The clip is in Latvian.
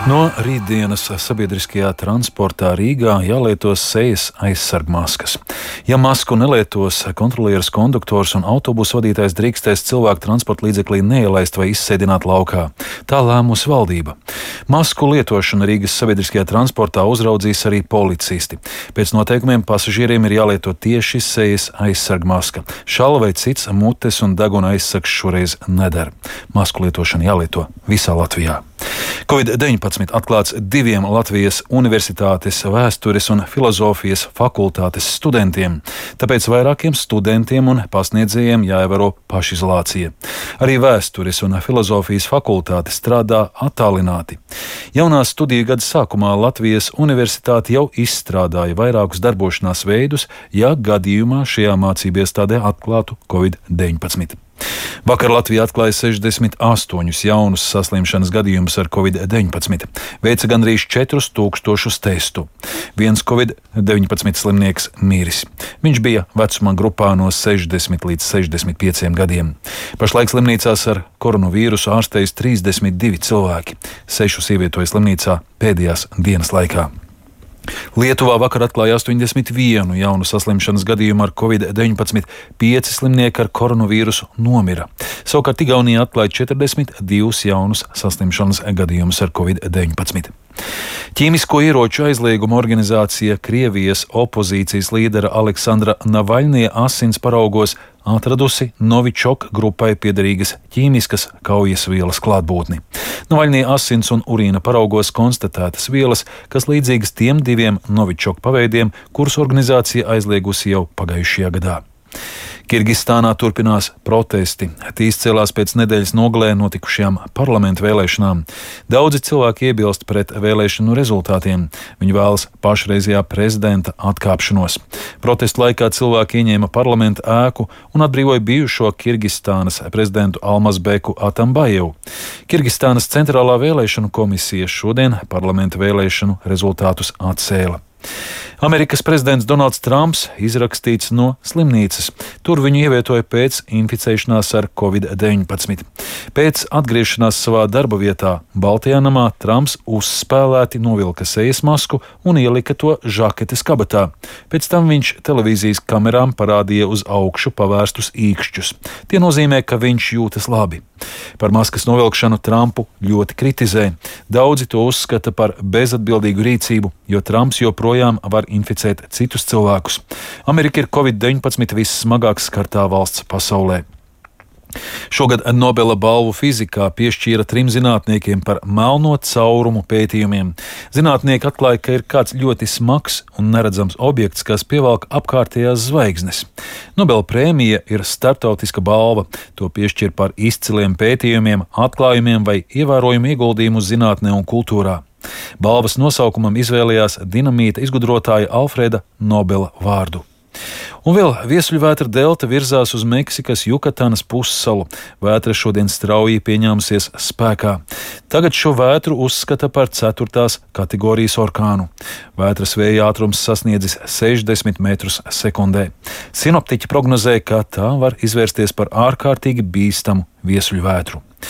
No rītdienas sabiedriskajā transportā Rīgā jālieto sejas aizsargmaskas. Ja masku nelietos, kontrolieris, konduktors un autobusu vadītājs drīkstēs cilvēku transporta līdzeklī neielaist vai izsēdināt laukā. Tā lēmusi valdība. Masku lietošanu Rīgas sabiedriskajā transportā uzraudzīs arī policisti. Pēc noteikumiem pasažieriem ir jālieto tieši sejas aizsargmaska. Šalva vai cits mutes un deguna aizsargs šoreiz nedara. Masku lietošana jālieto visā Latvijā. Covid-19 atklāts 2 Latvijas Universitātes vēstures un filozofijas fakultātes studentiem, tāpēc vairākiem studentiem un pasniedzējiem jāievēro pašizolācija. Arī vēstures un filozofijas fakultāte strādā attālināti. Jaunā studiju gada sākumā Latvijas Universitāte jau izstrādāja vairākus darbošanās veidus, ja gadījumā šajā mācību iestādē atklātu Covid-19. Vakar Latvija atklāja 68 jaunus saslimšanas gadījumus ar Covid-19. Veica gandrīz 4000 testu. Viens Covid-19 slimnieks miris. Viņš bija vecuma grupā no 60 līdz 65 gadiem. Pašlaik slimnīcās ar koronavīrusu ārstējas 32 cilvēki. 6 ievietoja slimnīcā pēdējās dienas laikā. Lietuvā vakar atklāja 81 jaunu saslimšanas gadījumu ar Covid-19. 5 slimnieki ar koronavīrusu nomira. Savukārt Igaunija atklāja 42 jaunus saslimšanas gadījumus ar Covid-19. Ķīmisko ieroču aizlieguma organizācija Krievijas opozīcijas līdera Aleksandra Navaļnie asins paraugos atradusi Novičok grupai piederīgas ķīmiskas kaujas vielas klātbūtni. Navaļnie asins un urīna paraugos konstatētas vielas, kas līdzīgas tiem 2 Novičok paveidiem, kurus organizācija aizliegusi jau pagājušajā gadā. Kirgistānā turpinās protesti. Tīs cēlās pēc nedēļas nogalē notikušajām parlamentu vēlēšanām. Daudzi cilvēki iebilst pret vēlēšanu rezultātiem. Viņi vēlas pašreizējā prezidenta atkāpšanos. Protestu laikā cilvēki ieņēma parlamenta ēku un atbrīvoja bijušo Kirgistānas prezidentu Almazbeku Atambajevu. Kirgistānas centrālā vēlēšanu komisija šodien parlamenta vēlēšanu rezultātus atcēla. Amerikas prezidents Donalds Trumps izrakstīts no slimnīcas. Tur viņu ievietoja pēc inficēšanās ar Covid-19. Pēc atgriešanās savā darba vietā Baltajā namā Trumps uzspēlēti novilka sejas masku un ielika to žaketes kabatā. Pēc tam viņš televīzijas kamerām parādīja uz augšu pavērstus īkšķus. Tie nozīmē, ka viņš jūtas labi. Par maskas novilkšanu Trumpu ļoti kritizē. Daudzi to uzskata par bezatbildīgu rīcību, jo Trumps joprojām var inficēt citus cilvēkus. Amerika ir Covid-19 vissmagāk skartā valsts pasaulē. Šogad Nobela balvu fizikā piešķīra 3 zinātniekiem par melno caurumu pētījumiem. Zinātnieki atklāja, ka ir kāds ļoti smags un neredzams objekts, kas pievelk apkārtējās zvaigznes. Nobela prēmija ir startautiska balva. To piešķir par izciliem pētījumiem, atklājumiem vai ievērojumu ieguldījumu zinātnē un kultūrā. Balvas nosaukumam izvēlējās dinamīta izgudrotāja Alfreda Nobela vārdu. Un vēl viesuļvētra delta virzās uz Meksikas Jukatanas pussalu. Vētra šodien strauji pieņēmusies spēkā. Tagad šo vētru uzskata par 4. kategorijas orkānu. Vētras vēja ātrums sasniedzis 60 metrus sekundē. Sinoptiķi prognozē, ka tā var izvērsties par ārkārtīgi bīstamu viesuļvētru.